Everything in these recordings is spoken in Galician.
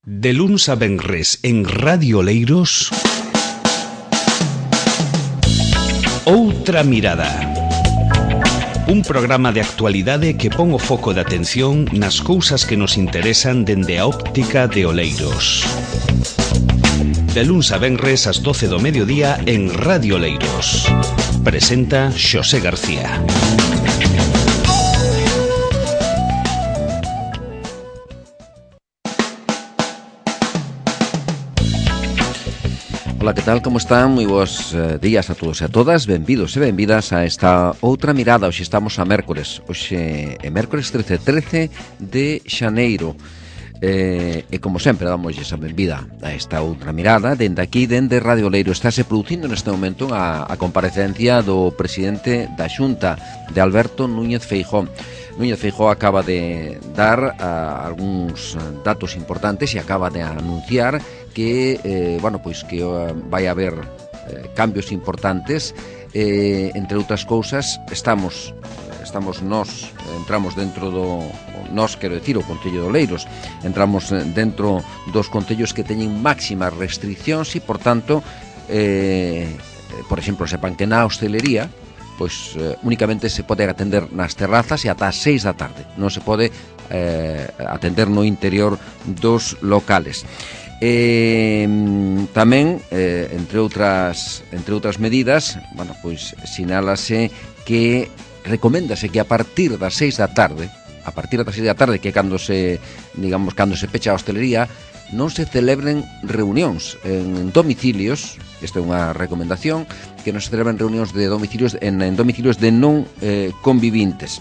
De luns a venres en Radio Oleiros, Outra Mirada. Un programa de actualidade que pon o foco de atención nas cousas que nos interesan dende a óptica de Oleiros. De luns a venres ás 12 do mediodía en Radio Oleiros. Presenta Xosé García. Ola, que tal, como están? Moi bons días a todos e a todas. Benvidos e benvidas a esta Outra Mirada. Hoxe estamos a mércores. Hoxe é mércores 13 de xaneiro. E como sempre damos esa benvida a esta Outra Mirada. Dende aquí, dende Radio Oleiro, estáse producindo neste momento a comparecencia do presidente da Xunta, de Alberto Núñez Feijóo. Núñez Feijóo acaba de dar algúns datos importantes e acaba de anunciar que, que vai haber cambios importantes. Entre outras cousas, entramos dentro do... Nós, quero decir, o Concello de Oleiros, entramos dentro dos concellos que teñen máximas restriccións e, por tanto, por exemplo, sepan que na hostelería, pois únicamente se pode atender nas terrazas e ata as 6 da tarde. Non se pode atender no interior dos locales. Tamén, entre outras medidas, sinálase que recoméndase que a partir das 6 da tarde, que é cando se pecha a hostelería, non se celebren reunións en domicilios. Esta é unha recomendación, que non se celebren reunións de domicilios en domicilios de non convivintes.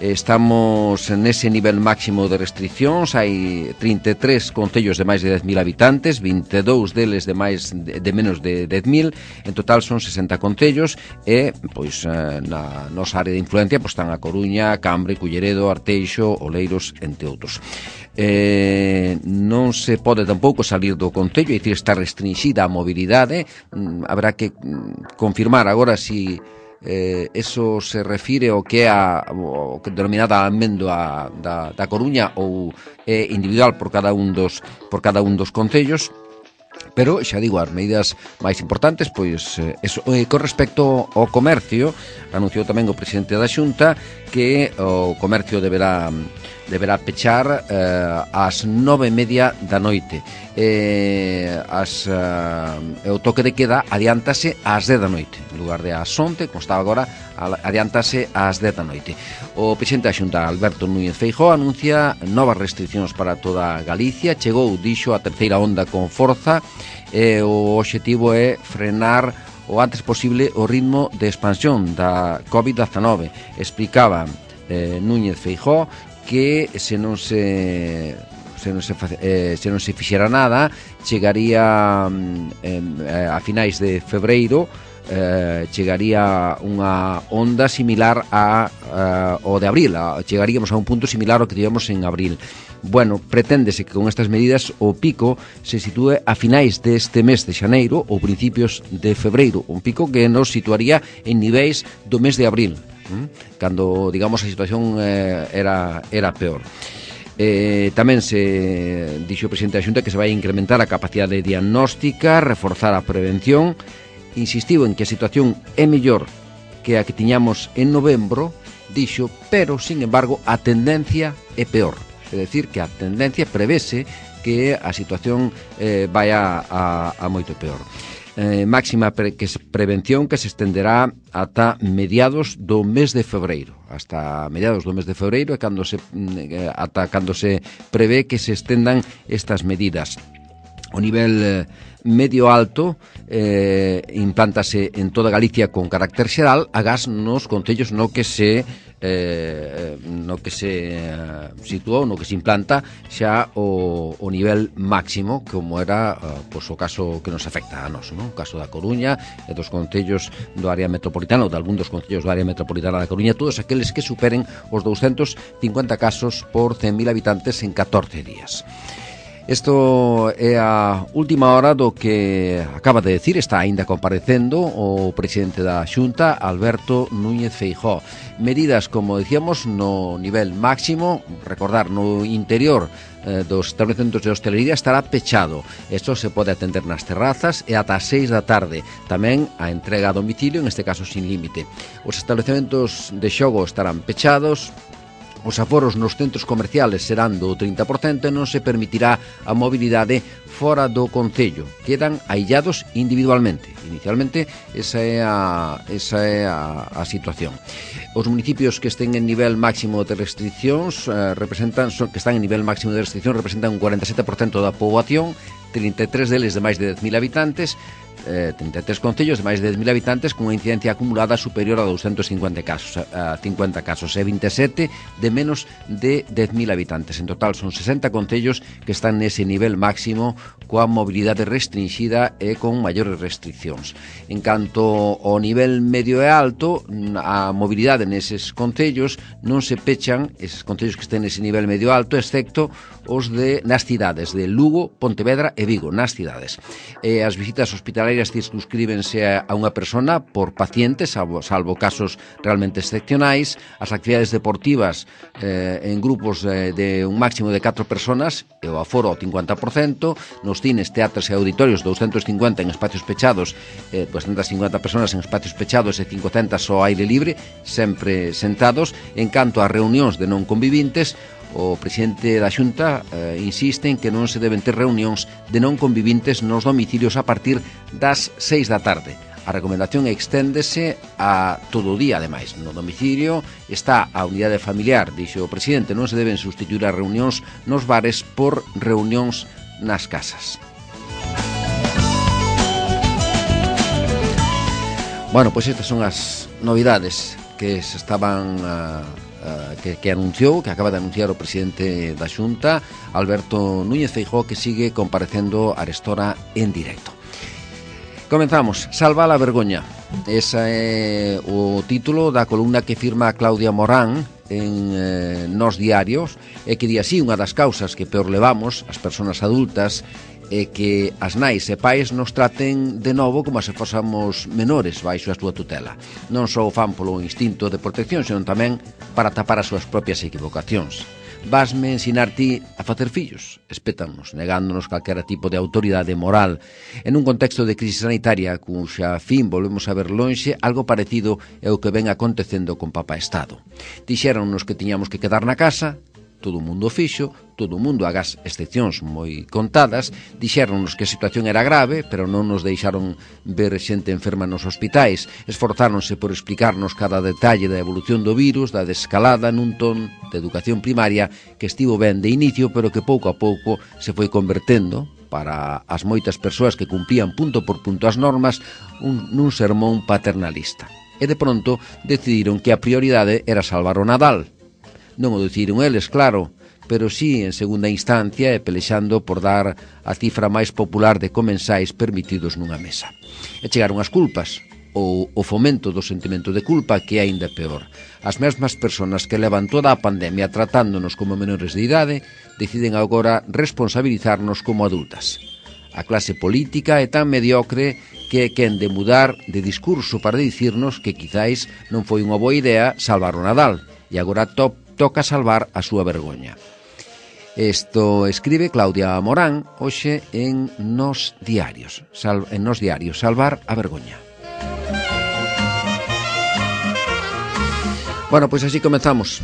Estamos nese nivel máximo de restriccións. Hai 33 concellos de máis de 10.000 habitantes, 22 deles de menos de 10.000. En total son 60 concellos e, na nosa área de influencia están a Coruña, Cambre, Culleredo, Arteixo, Oleiros, entre outros. Non se pode tampouco salir do concello, é dicir, está restringida a mobilidade. Habrá que confirmar agora si eso se refire ao que é o que denominada amendoa da Coruña ou é individual por cada un dos concellos. Pero, xa digo, as medidas máis importantes, con respecto ao comercio, anunciou tamén o presidente da Xunta que o comercio deberá pechar ás 9:30 da noite. O toque de queda adiántase ás 10 da noite. En lugar de ás 11, como estaba agora, adiántase ás 10 da noite. O presidente da Xunta, Alberto Núñez Feijóo, anuncia novas restriccións para toda Galicia. Dixo, a terceira onda con forza. O obxectivo é frenar o antes posible o ritmo de expansión da COVID-19. Explicaba Núñez Feijóo que se non se fixera nada, chegaría a finais de febreiro, chegaría unha onda similar ao de abril. Chegaríamos a un punto similar ao que tivemos en abril. Bueno, preténdese que con estas medidas o pico se sitúe a finais deste mes de xaneiro ou principios de febreiro, un pico que nos situaría en niveis do mes de abril, cando, digamos, a situación era peor. Tamén se dixo o presidente da Xunta que se vai incrementar a capacidade diagnóstica, reforzar a prevención. Insistiu en que a situación é mellor que a que tiñamos en novembro, dixo, pero, sin embargo, a tendencia é peor. É dicir, que a tendencia prevese que a situación vai a moito peor. Máxima prevención que se estenderá ata mediados do mes de febreiro. Hasta mediados do mes de febreiro é cando se prevé que se estendan estas medidas. O nivel medio alto implántase en toda Galicia con carácter xeral, agás nos concellos no que se situou, no que se implanta xa o nivel máximo, como era o caso que nos afecta a nós, o caso da Coruña e dos concellos do área metropolitana, ou de algún dos concellos do área metropolitana da Coruña, todos aqueles que superen os 250 casos por 100.000 habitantes en 14 días. Isto é a última hora do que acaba de decir, está aínda comparecendo o presidente da Xunta, Alberto Núñez Feijóo. Medidas, como decíamos, no nivel máximo, recordar, no interior dos estabelecementos de hostelería estará pechado. Isto se pode atender nas terrazas e ata as 6 da tarde. Tamén a entrega a domicilio, en este caso sin límite. Os estabelecementos de xogo estarán pechados. Os aforos nos centros comerciales serán do 30% e non se permitirá a mobilidade fora do concello. Quedan aillados individualmente. Inicialmente, esa é a situación. Os municipios que estén en nivel máximo de restriccións representan un 47% da poboación, 33 deles de máis de 10.000 habitantes, 33 concellos de máis de 10.000 habitantes con unha incidencia acumulada superior a 250 casos, a 50 casos, e 27 de menos de 10.000 habitantes. En total son 60 concellos que están nese nivel máximo coa mobilidade restringida e con maiores restriccións. En canto ao nivel medio e alto, a mobilidade neses concellos non se pechan, eses concellos que estén nese nivel medio alto, excepto os nas cidades de Lugo, Pontevedra e Vigo, nas cidades. As visitas hospitalarias circunscríbense a unha persona por paciente, salvo casos realmente excepcionais. As actividades deportivas en grupos de un máximo de 4 personas, e o aforo ao 50%, nos cines, teatros e auditorios 250 en espacios pechados, 250 personas en espacios pechados e 500 ao aire libre, sempre sentados. En canto a reunións de non convivintes, o presidente da Xunta insiste en que non se deben ter reunións de non convivintes nos domicilios a partir das 6 da tarde. A recomendación exténdese a todo o día, ademais. No domicilio está a unidade familiar, dixo o presidente, non se deben sustituir as reunións nos bares por reunións nas casas. Bueno, pois estas son as novidades que se estaban que anunciou, que acaba de anunciar o presidente da Xunta, Alberto Núñez Feijóo, que sigue comparecendo a Arestora en directo. Comenzamos. Salva a vergoña. Ese é o título da columna que firma Claudia Morán en Nós Diarios, e que di así: unha das causas que peor levamos, as persoas adultas, é que as nais e pais nos traten de novo como se fósamos menores baixo a súa tutela. Non só o fan polo instinto de protección, senón tamén para tapar as súas propias equivocacións. Vasme ensinar ti a facer fillos? Espétanos, negándonos calquera tipo de autoridade moral. En un contexto de crise sanitaria cuxa fin volvemos a ver lonxe, algo parecido é o que ven acontecendo con Papá Estado. Dixéronnos que tiñamos que quedar na casa, todo o mundo fixo, todo o mundo, agás excepcións moi contadas. Dixéronnos que a situación era grave, pero non nos deixaron ver xente enferma nos hospitais. Esforzáronse por explicarnos cada detalle da evolución do virus, da desescalada, nun ton de educación primaria que estivo ben de inicio, pero que pouco a pouco se foi convertendo, para as moitas persoas que cumplían punto por punto as normas, nun sermón paternalista. E de pronto decidiron que a prioridade era salvar o Nadal. Non o decidiron eles, claro, pero sí en segunda instancia e pelexando por dar a cifra máis popular de comensais permitidos nunha mesa. E chegaron as culpas, ou o fomento do sentimento de culpa, que é aínda peor. As mesmas persoas que levan toda a pandemia tratándonos como menores de idade deciden agora responsabilizarnos como adultas. A clase política é tan mediocre que é quen de mudar de discurso para dicirnos que quizáis non foi unha boa idea salvar o Nadal, e agora toca salvar a súa vergoña. Isto escribe Claudia Morán hoxe en Nós Diarios. Salvar a vergoña. Bueno, pois así comezamos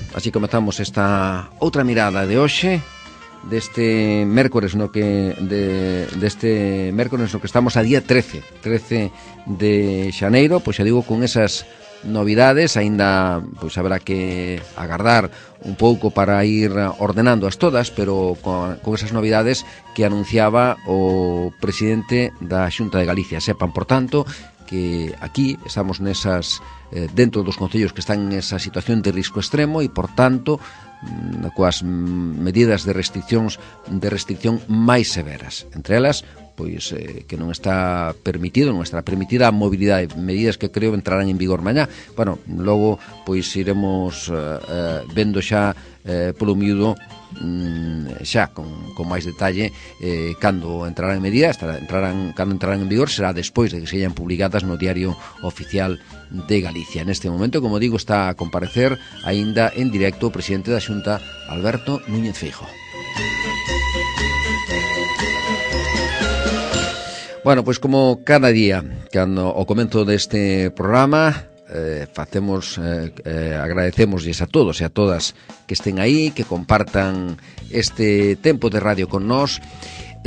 esta outra mirada de hoxe, deste mércores no que estamos a día 13 de xaneiro, pois xa digo, con esas novidades. Aínda pois haberá que agardar un pouco para ir ordenándoas todas, pero con esas novidades que anunciaba o presidente da Xunta de Galicia. Sepan, por tanto, que aquí estamos nesas dentro dos concellos que están en esa situación de risco extremo e, por tanto, coas medidas de restricción máis severas. Entre elas, pois que non está permitida a mobilidade, medidas que creo entrarán en vigor mañá. Bueno, logo pois iremos vendo xa polo miúdo xa con máis detalle cando entrarán en medida, cando entrarán en vigor será despois de que se hayan publicadas no Diario Oficial de Galicia. Neste momento, como digo, está a comparecer aínda en directo o presidente da Xunta, Alberto Núñez Feijóo. Bueno, pois como cada día, cando ao comezo deste programa agradecemosles a todos e a todas que estén aí, que compartan este tempo de radio con nós.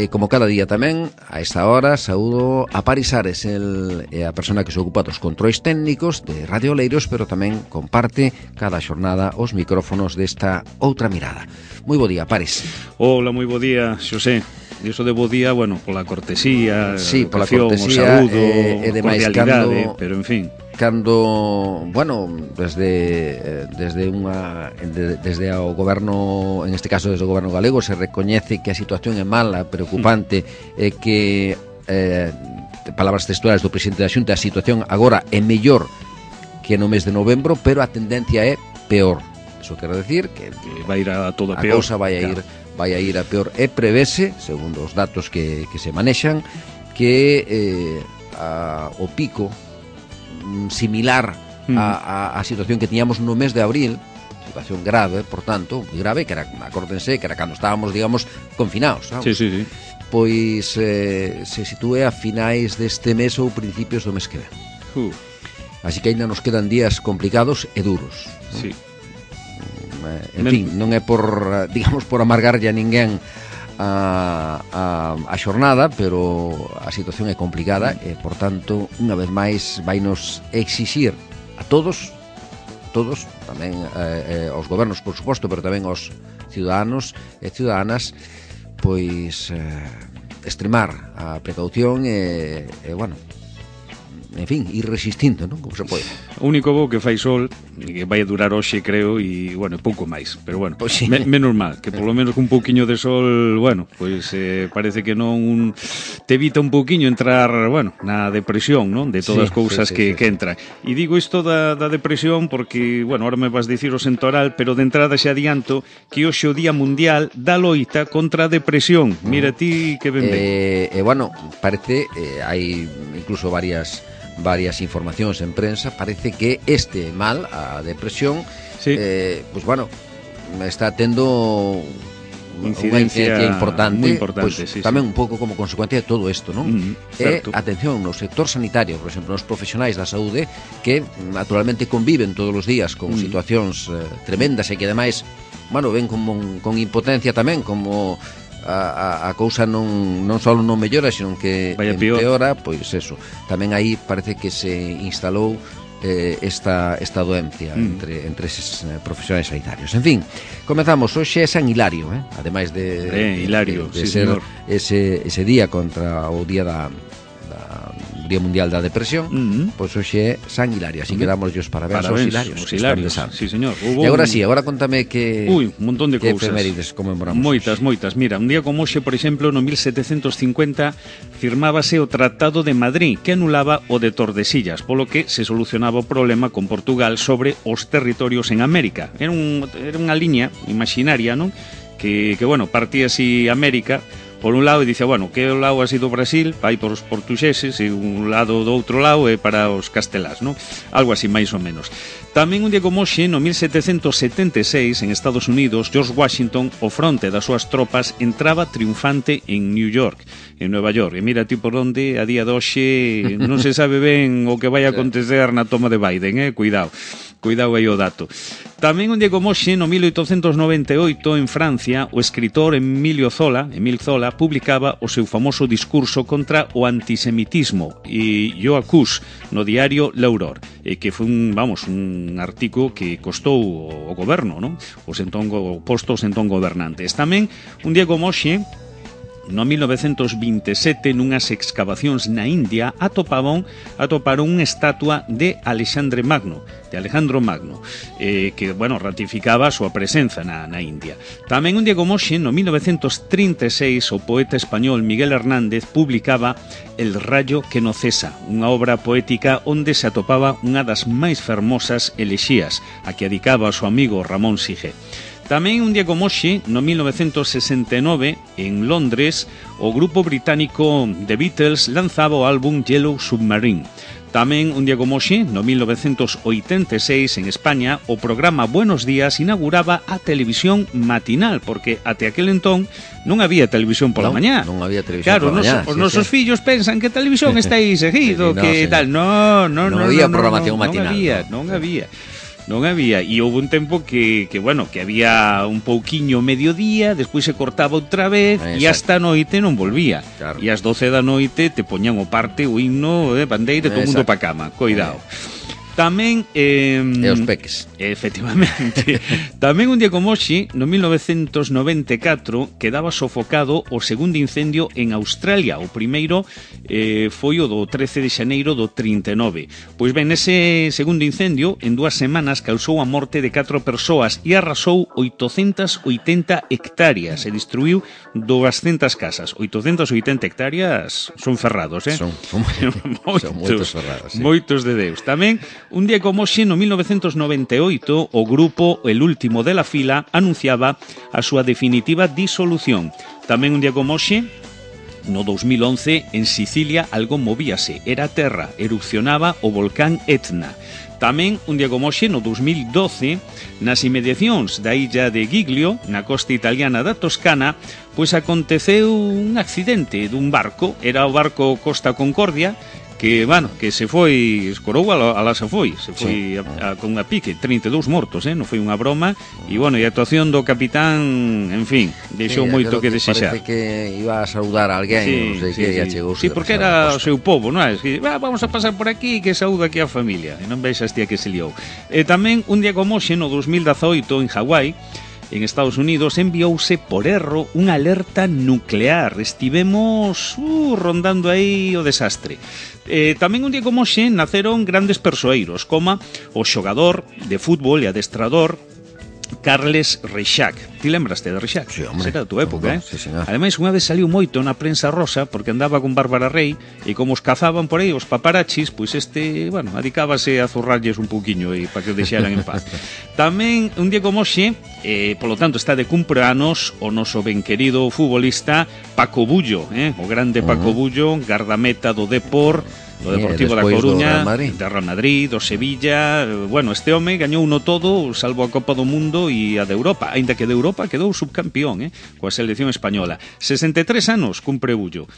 Como cada día tamén, a esta hora saúdo a Paris Ares, a persona que se ocupa dos controis técnicos de Radio Oleiros, pero tamén comparte cada xornada os micrófonos desta outra mirada. Moi bo día, Paris. Hola, moi bo día, Xosé. Iso de bo día, bueno, pola cortesía, sí, pola cortesía, o saúdo, cordialidade, pero en fin. Cando, bueno, desde o goberno, en este caso desde o goberno galego, se recoñece que a situación é mala, preocupante, e que palabras textuales do presidente da Xunta, a situación agora é mellor que no mes de novembro, pero a tendencia é peor. Iso quero decir que vai ir a todo peor. A cousa vai a ir a peor, e prevese, segundo os datos que se manexan, que o pico similar a situación que tiñamos no mes de abril, situación grave, por tanto, moi grave, que era, acórdense, que era cando estábamos, digamos, confinados, sabes? Sí. Pois se sitúe a finais deste mes ou principios do mes que ven. Así que ainda nos quedan días complicados e duros, ¿no? Sí. En fin, non é por, digamos, por amargarlle a ninguén a xornada, pero a situación é complicada e, por tanto, unha vez máis vainos exixir a todos, tamén aos gobernos, por suposto, pero tamén aos ciudadanos e ciudadanas, pois extremar a precaución e bueno, en fin, ir resistindo, non? Como se pode. O único bo que fai sol, que vai a durar hoxe, creo, e, bueno, pouco máis. Pero, bueno, pues sí. Menos mal, que polo menos un pouquiño de sol, bueno, pois parece que non te evita un pouquiño entrar, bueno, na depresión, non? De todas as cousas que entran. E digo isto da depresión porque, bueno, ahora me vas dicir o Sentoral, pero de entrada xa adianto que hoxe o Día Mundial da loita contra a depresión. Mira ti que ben ben. Bueno, parece, hai incluso varias informacións en prensa, parece que este mal, a depresión, sí. Pues bueno, está tendo unha incidencia importante, pues, sí, tamén un pouco como consecuencia de todo isto, non? Atención, no sector sanitario, por exemplo, nos profesionais da saúde, que naturalmente conviven todos os días con situacións tremendas e que ademais, bueno, ven con impotencia tamén, como a cousa non só non mellora, sino que empeora, pois eso. Tamén aí parece que se instalou esta doencia entre eses profesionais sanitarios. En fin, comezamos. Hoxe é San Hilario, ademais de Hilario, de sí, ser señor. ese día contra o día da Día Mundial da Depresión, pois hoxe é San Hilario, así que damos os parabéns aos Hilarios. Os Hilarios, sí, señor. E agora contame que un montón de cousas. Efemérides conmemoramos. Moitas. Mira, un día como hoxe, por exemplo, no 1750 firmábase o Tratado de Madrid, que anulaba o de Tordesillas, polo que se solucionaba o problema con Portugal sobre os territorios en América. Era unha liña imaginaria, non? Que bueno, partía así América por un lado e dice, bueno, que o lado así do Brasil vai por os portugueses e un lado do outro lado é para os castelás, non? Algo así máis ou menos. Tamén un día como hoxe, no 1776, en Estados Unidos, George Washington, ao fronte das súas tropas, entraba triunfante en New York, en Nueva York. E mira ti por onde, a día de hoxe, non se sabe ben o que vai acontecer na toma de Biden, Cuidado aí o dato. Tamén un día como hoxe, no 1898, en Francia, o escritor Émile Zola publicaba o seu famoso discurso contra o antisemitismo e yo acus no diario L'Aurore, que foi un artigo que costou o goberno, non? Os postos entón gobernantes. Tamén un día como hoxe, no 1927 nunhas excavacións na India atoparon unha estatua de Alexandro Magno, que, bueno, ratificaba a súa presenza na India. Tamén un día como hoxe, no 1936, o poeta español Miguel Hernández publicaba El rayo que no cesa, unha obra poética onde se atopaba unha das máis fermosas elexías, a que dedicaba ao seu amigo Ramón Sige. Tamén un día como hoxe, no 1969, en Londres, o grupo británico The Beatles lanzaba o álbum Yellow Submarine. Tamén un día como hoxe, no 1986, en España, o programa Buenos Días inauguraba a televisión matinal, porque até aquel entón non había televisión pola mañá. Non había televisión pola mañá. Os nosos fillos pensan que a televisión está aí seguido, que tal. Non había programación matinal. Non había, e houve un tempo que había un pouquiño mediodía, despois se cortaba outra vez, e hasta a noite non volvía. Claro. E ás 12 da noite te poñan o parte, o himno, bandeira, todo o mundo pa cama. Coidado. Tamén e os peques. Efectivamente. Tamén un día como hoxe, no 1994, quedaba sofocado o segundo incendio en Australia. O primeiro foi o do 13 de xaneiro do 39. Pois ben, ese segundo incendio en 2 semanas causou a morte de 4 persoas e arrasou 880 hectáreas e destruiu 200 casas. 880 hectáreas son ferrados, Son moitos ferrados, sí. Moitos de Deus. Tamén un día como hoxe, no 1998, o grupo El Último de la Fila anunciaba a súa definitiva disolución. Tamén un día como hoxe, no 2011, en Sicilia algo movíase, era terra, erupcionaba o volcán Etna. Tamén, un día como hoxe, no 2012, nas inmediacións da illa de Giglio, na costa italiana da Toscana, pois aconteceu un accidente dun barco, era o barco Costa Concordia, que, que se foi, escorou alá se foi con unha pique, 32 mortos, non foi unha broma, e, e a actuación do capitán, en fin, deixou moito que desexar. Parece que iba a saudar a alguén, non sei que chegou. Sí, porque era o seu povo, non é? Vamos a pasar por aquí, que saúda aquí a familia, e non vexas tía que se liou. E tamén, un día como hoxe, no 2018, en Hawái, en Estados Unidos, enviouse por erro unha alerta nuclear. Estivemos rondando aí o desastre. Tamén un día como hoxe naceron grandes persoeiros, como o xogador de fútbol e adestrador Carles Reixac. Ti lembraste de Reixac? Sí, hombre. Será da tua época, Sí, señor. Ademais, unha vez saliu moito na prensa rosa porque andaba con Bárbara Rey e como os cazaban por aí os paparachis, pois adicábase a zurrarlles un pouquiño e para que deixaran en paz. Tamén, un día como hoxe, polo tanto, está de cumpleanos o noso ben querido futbolista Paco Bullo, o grande Paco Bullo, gardameta do Depor, do Deportivo da Coruña, do Real Madrid, do Sevilla. Este home gañou uno todo, salvo a Copa do Mundo e a de Europa, aínda que de Europa quedou subcampeón, coa selección española. 63 anos cumpre Bullo.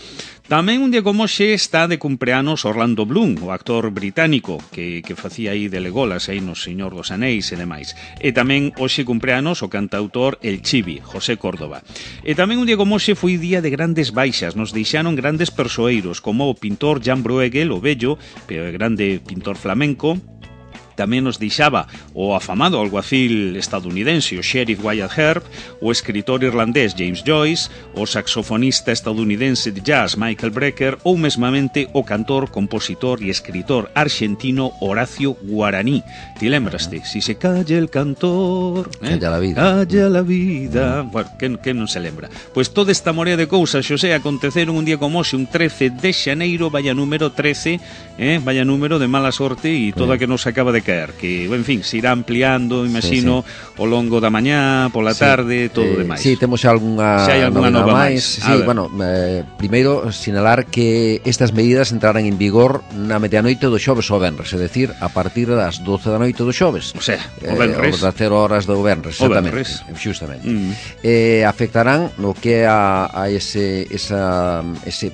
Tamén un día como hoxe está de cumpleanos Orlando Bloom, o actor británico que facía aí de Legolas aí no Señor dos Anéis e demais. E tamén hoxe cumpleanos o cantautor El Chivi, José Córdoba. E tamén un día como hoxe foi día de grandes baixas, nos deixaron grandes persoeiros como o pintor Jan Bruegel, o bello, pero grande pintor flamenco. Tamén nos deixaba o afamado alguacil estadounidense, o sheriff Wyatt Earp, o escritor irlandés James Joyce, o saxofonista estadounidense de jazz Michael Brecker ou mesmamente o cantor, compositor e escritor argentino Horacio Guaraní. Ti lembraste? Si se calla el cantor, calla la vida. Calla la vida. Bueno, que non se lembra? Pois toda esta morea de cousas, Xosé, aconteceron un día como hoxe, un 13 de xaneiro, vaya número 13, vaya número de mala sorte e toda que nos acaba de caer, que, en fin, se irá ampliando, imagino, ao longo da mañá, pola tarde, todo demais. Sí, temos algunha nova máis. Sí, primeiro, sinalar que estas medidas entrarán en vigor na medianoite do xoves ao venres, é dicir, a partir das 12 da noite do xoves. O sea, o venres. Das 0 horas do venres, exactamente. Xustamente. Afectarán no que a ese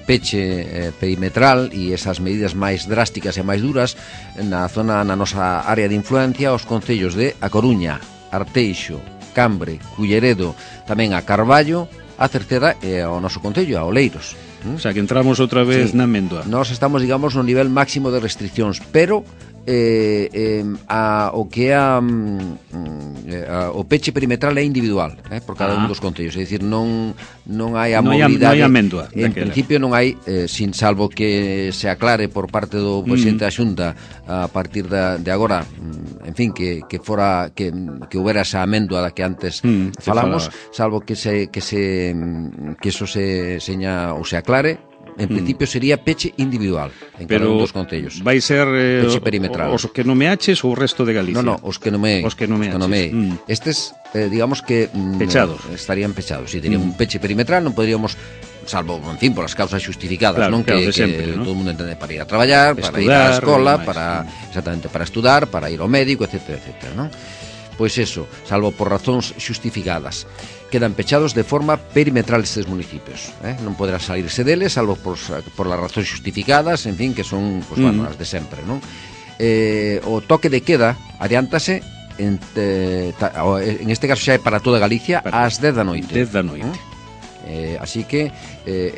peche perimetral e esas medidas máis drásticas e máis duras na zona, na nosa área de influencia, os concellos de A Coruña, Arteixo, Cambre, Culleredo, tamén a Carballo, a Cerceda e ao noso concello, a Oleiros. O sea, que entramos outra vez na Méndoa. Nós estamos, digamos, no nivel máximo de restriccións, pero o que é o peche perimetral é individual, por cada un dos concellos, é dicir, non hai a mobilidade, non hai amendua en principio non hai, sin salvo que se aclare por parte do presidente da Xunta a partir de agora, en fin, que houbera esa amendua da que antes falamos, salvo que eso se seña ou se aclare. En principio sería peche individual en cada un dos concellos. Vai ser peche perimetral. Os que nomeaches ou o resto de Galicia? Non, os que nomeaches. Estes, digamos que pechados. Estarían pechados. Si teríamos un peche perimetral, non poderíamos, salvo, en fin, por as causas xustificadas, claro, non? Claro, que sempre, todo o mundo entende, para ir a traballar, para ir á escola, exactamente, para estudar, para ir ao médico, etc., non? Pois eso, salvo por razóns xustificadas, quedan pechados de forma perimetral estes municipios, non poderá salirse deles, salvo por las razóns xustificadas, en fin, que son, pues, bueno, as de sempre, non? O toque de queda adiántase en este caso xa é para toda Galicia ás 10 da noite. 10 da noite. Así que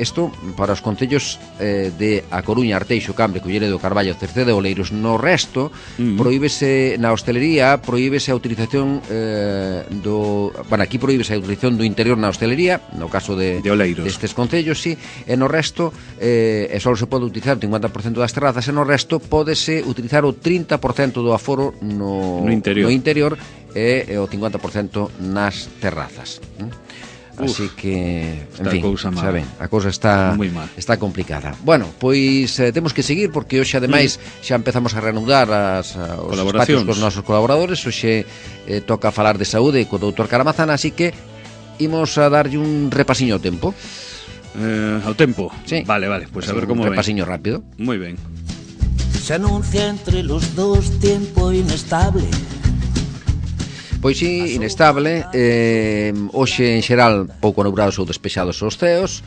isto para os concellos de A Coruña, Arteixo, Cambre, Culleredo, Carballo, Cerceda e Oleiros. No resto, prohíbese na hostelería, prohíbese a utilización aquí prohíbese a utilización do interior na hostelería, no caso de Oleiros, destes concellos, sí, e no resto só se pode utilizar o 50% das terrazas, e no resto pódese utilizar o 30% do aforo no interior e o 50% nas terrazas. Así que, en fin, saben, a cousa está complicada. Bueno, pois temos que seguir porque hoxe ademais xa empezamos a reanudar os espacios cos nosos colaboradores. Hoxe toca falar de saúde co doutor Caramazana, así que imos a darlle un repasiño ao tempo. Ao tempo? Sí. Vale, pois a ver como ven. Un repasiño rápido. Moi ben. Se anuncia entre los dos tiempo inestable. Pois sí, inestable, hoxe en xeral pouco nubrados ou despexados os ceos,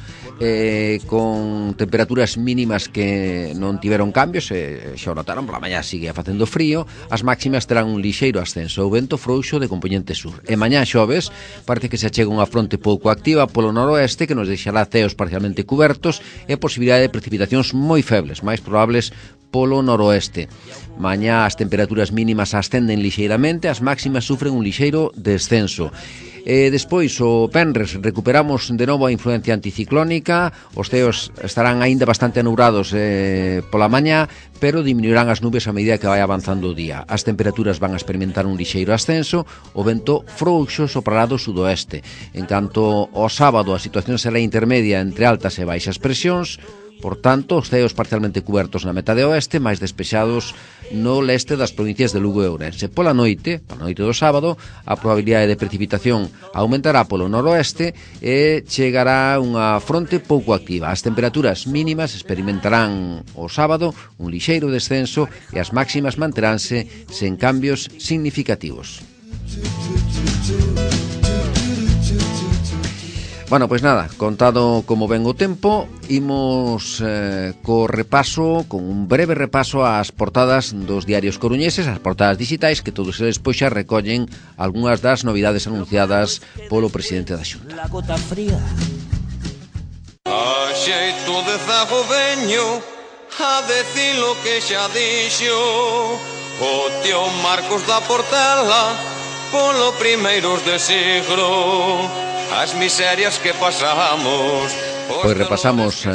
con temperaturas mínimas que non tiveron cambios, xa o notaron, pola mañá sigue facendo frío, as máximas terán un lixeiro ascenso, o vento frouxo de compoñente sur. E mañá xoves parece que se achega unha fronte pouco activa polo noroeste que nos deixará ceos parcialmente cubertos e posibilidade de precipitacións moi febles, máis probables polo noroeste. Mañá as temperaturas mínimas ascenden lixeiramente, as máximas sufren un lixeiro descenso. Despois, o venres, recuperamos de novo a influencia anticiclónica, os ceos estarán aínda bastante anubrados pola mañá, pero diminuirán as nubes a medida que vai avanzando o día. As temperaturas van a experimentar un lixeiro ascenso, o vento frouxo soprará do sudoeste. En canto ao sábado, a situación será intermedia entre altas e baixas presións. Por tanto, os ceos parcialmente cubertos na metade oeste, máis despexados no leste das provincias de Lugo e Ourense. Pola noite do sábado, a probabilidade de precipitación aumentará polo noroeste e chegará unha fronte pouco activa. As temperaturas mínimas experimentarán o sábado un lixeiro descenso e as máximas manteránse sen cambios significativos. Bueno, pois nada, contado como ven o tempo, imos co repaso, con un breve repaso ás portadas dos diarios coruñeses, as portadas digitais, que todos eles pois xa recollen algunhas das novidades anunciadas polo presidente da Xunta. A xeito de zago veño a decir lo que xa dixo o tío Marcos da Portela polo primeiros de siglo. As miserias que pasamos. Pois repasamos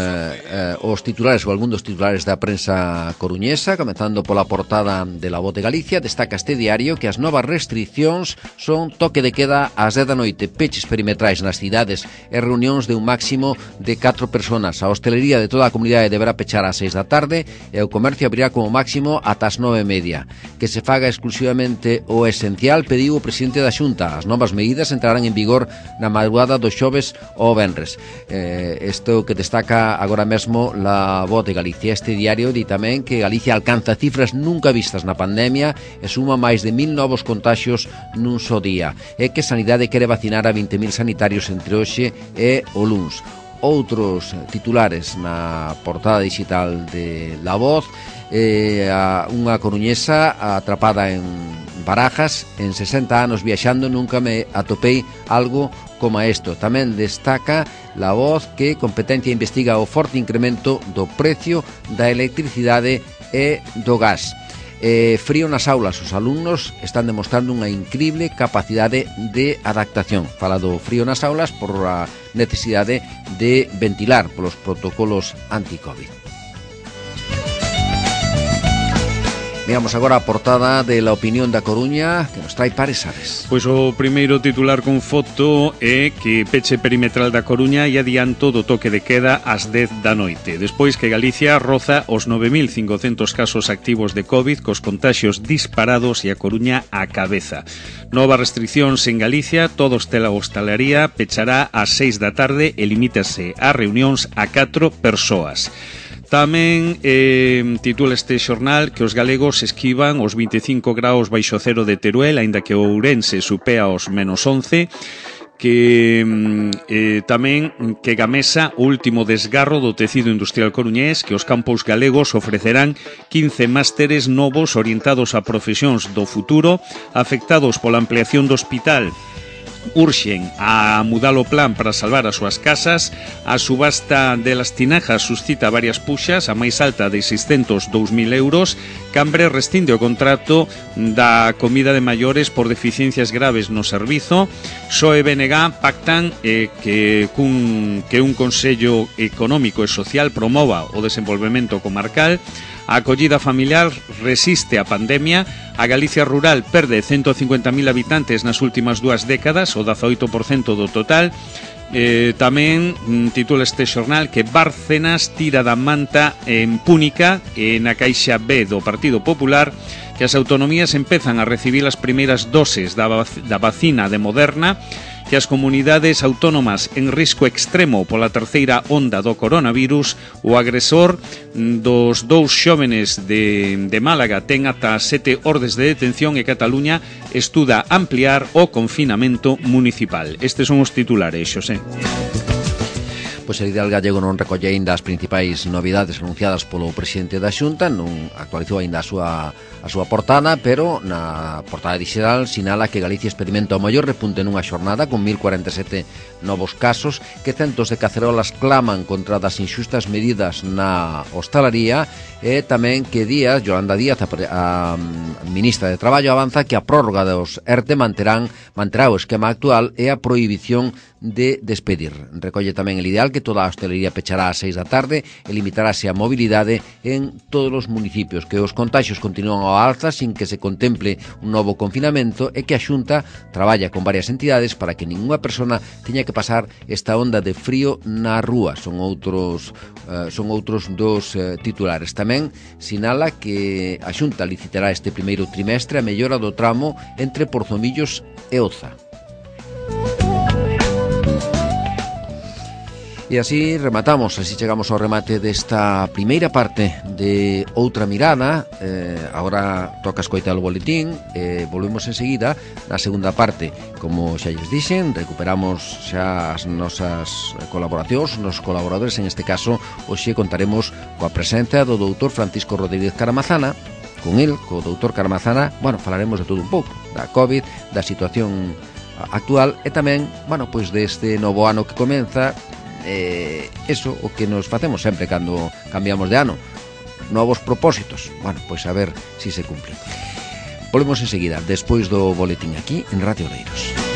os titulares ou algún dos titulares da prensa coruñesa, comenzando pola portada de La Voz de Galicia. Destaca este diario que as novas restriccións son toque de queda ás 10 da noite, peches perimetrais nas cidades e reunións de un máximo de 4 personas. A hostelería de toda a comunidade deberá pechar ás 6 da tarde e o comercio abrirá como máximo ata as 9:30. Que se faga exclusivamente o esencial, pediu o presidente da Xunta. As novas medidas entrarán en vigor na madrugada do xoves ao venres. Isto que destaca agora mesmo La Voz de Galicia. Este diario di tamén que Galicia alcanza cifras nunca vistas na pandemia e suma máis de 1000 novos contaxios nun só día. E que Sanidade quere vacinar a 20.000 sanitarios entre hoxe e o luns. Outros titulares na portada digital de La Voz, unha coruñesa atrapada en Barajas, en 60 anos viaxando nunca me atopei algo como isto. Tamén destaca La Voz que Competencia investiga o forte incremento do precio da electricidade e do gas. Frío nas aulas, os alumnos están demostrando unha incrible capacidade de adaptación. Fala do frío nas aulas por a necesidade de ventilar polos protocolos anti-Covid. Veamos agora a portada de La Opinión da Coruña, que nos trae Pares Ares. Pois o primeiro titular con foto é que peche perimetral da Coruña e adianto do toque de queda ás 10 da noite. Despois que Galicia roza os 9.500 casos activos de COVID, cos contaxios disparados e a Coruña á cabeza. Novas restriccións en Galicia, todo hostalería pechará ás 6 da tarde e limítase a reunións a 4 persoas. Tamén titula este xornal que os galegos esquivan os 25 graus baixo cero de Teruel, aínda que o Ourense supea os menos 11, que tamén que Gamesa o último desgarro do tecido industrial coruñés, que os campus galegos ofrecerán 15 másteres novos orientados a profesións do futuro, afectados pola ampliación do hospital. Urxen a mudar o plan para salvar as súas casas. A subasta de las tinajas suscita varias puxas, a máis alta de 602.000 euros. Cambre rescinde o contrato da comida de maiores por deficiencias graves no servizo. PSOE e BNG pactan que un Consello Económico e Social promova o desenvolvemento comarcal. A acollida familiar resiste a pandemia. A Galicia rural perde 150.000 habitantes nas últimas 2 décadas, o 18% do total. Tamén titula este xornal que Bárcenas tira da manta en Púnica e na Caixa B do Partido Popular, que as autonomías empezan a recibir as primeiras doses da vacina de Moderna, que as comunidades autónomas en risco extremo pola terceira onda do coronavirus. O agresor dos 2 xóvenes de Málaga ten ata 7 ordes de detención e Cataluña estuda ampliar o confinamento municipal. Estes son os titulares, Xosé. Pois el Ideal Gallego non recolle aínda as principais novidades anunciadas polo presidente da Xunta, non actualizou aínda a súa portada, pero na portada digital sinala que Galicia experimenta o maior repunte nunha xornada con 1.047 novos casos, que centos de cacerolas claman contra das inxustas medidas na hostalaría, e tamén que Yolanda Díaz, a ministra de Traballo, avanza que a prórroga dos ERTE manterá o esquema actual e a prohibición de despedir. Recolle tamén el Ideal que toda a hostelería pechará ás 6 da tarde e limitarase a mobilidade en todos os municipios, que os contaxios continúan ao alza sin que se contemple un novo confinamento e que a Xunta traballa con varias entidades para que ningunha persona teña que pasar esta onda de frío na rúa. Son outros dos titulares. Tamén sinala que a Xunta licitará este primeiro trimestre a mellora do tramo entre Porzomillos e Oza. E así rematamos, así chegamos ao remate desta primeira parte de Outra Mirada. Agora toca escoitar o boletín, volvemos enseguida na segunda parte. Como xa lles dixen, recuperamos xa as nosas colaboracións, nos colaboradores. En este caso, hoxe contaremos coa presenza do doutor Francisco Rodríguez Caramazana. Con el, co doutor Caramazana, falaremos de todo un pouco, da COVID, da situación actual e tamén, pois deste novo ano que comeza. Eso o que nos facemos sempre cando cambiamos de ano, novos propósitos. Pois a ver si se cumplen. Volvemos enseguida, despois do boletín aquí en Radio Oleiros.